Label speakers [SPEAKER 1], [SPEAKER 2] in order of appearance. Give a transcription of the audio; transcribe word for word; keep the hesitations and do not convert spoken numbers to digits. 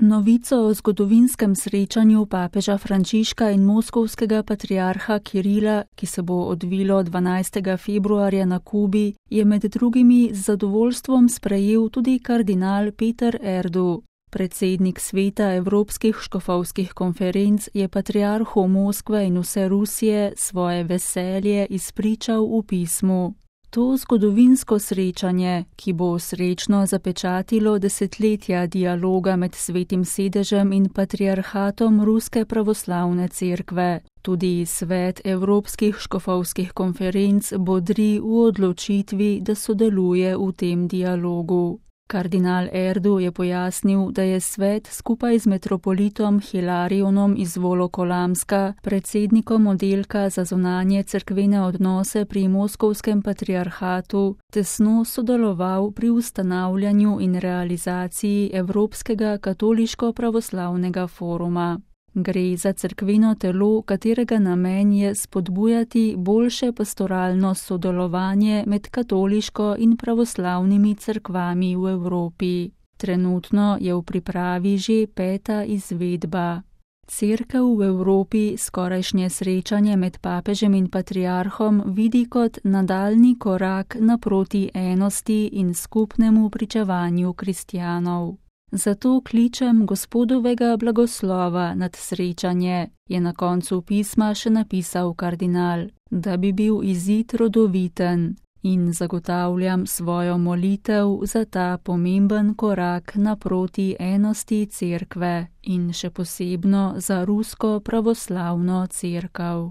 [SPEAKER 1] Novico o zgodovinskem srečanju papeža Frančiška in moskovskega patriarha Kirila, ki se bo odvilo dvanajstega februarja na Kubi, je med drugimi z zadovoljstvom sprejel tudi kardinal Peter Erdu. Predsednik sveta Evropskih škofovskih konferenc je patriarhu Moskve in vse Rusije svoje veselje izpričal v pismu. To zgodovinsko srečanje, ki bo srečno zapečatilo desetletja dialoga med Svetim sedežem in patriarhatom Ruske pravoslavne cerkve. Tudi svet Evropskih škofovskih konferenc bodri v odločitvi, da sodeluje v tem dialogu. Kardinal Erdu je pojasnil, da je svet skupaj z metropolitom Hilarionom iz Volokolamska, predsednikom oddelka za zunanje cerkvene odnose pri moskovskem patriarhatu, tesno sodeloval pri ustanavljanju in realizaciji Evropskega katoliško-pravoslavnega foruma. Gre za cerkveno telo, katerega namen je spodbujati boljše pastoralno sodelovanje med katoliško in pravoslavnimi cerkvami v Evropi. Trenutno je v pripravi že peta izvedba. Cerkev v Evropi skorajšnje srečanje med papežem in patriarhom vidi kot nadaljnji korak naproti enosti in skupnemu pričevanju kristjanov. Zato kličem Gospodovega blagoslova nad srečanje, je na koncu pisma še napisal kardinal, da bi bil izid rodoviten, in zagotavljam svojo molitev za ta pomemben korak naproti enosti cerkve in še posebno za Rusko pravoslavno cerkev.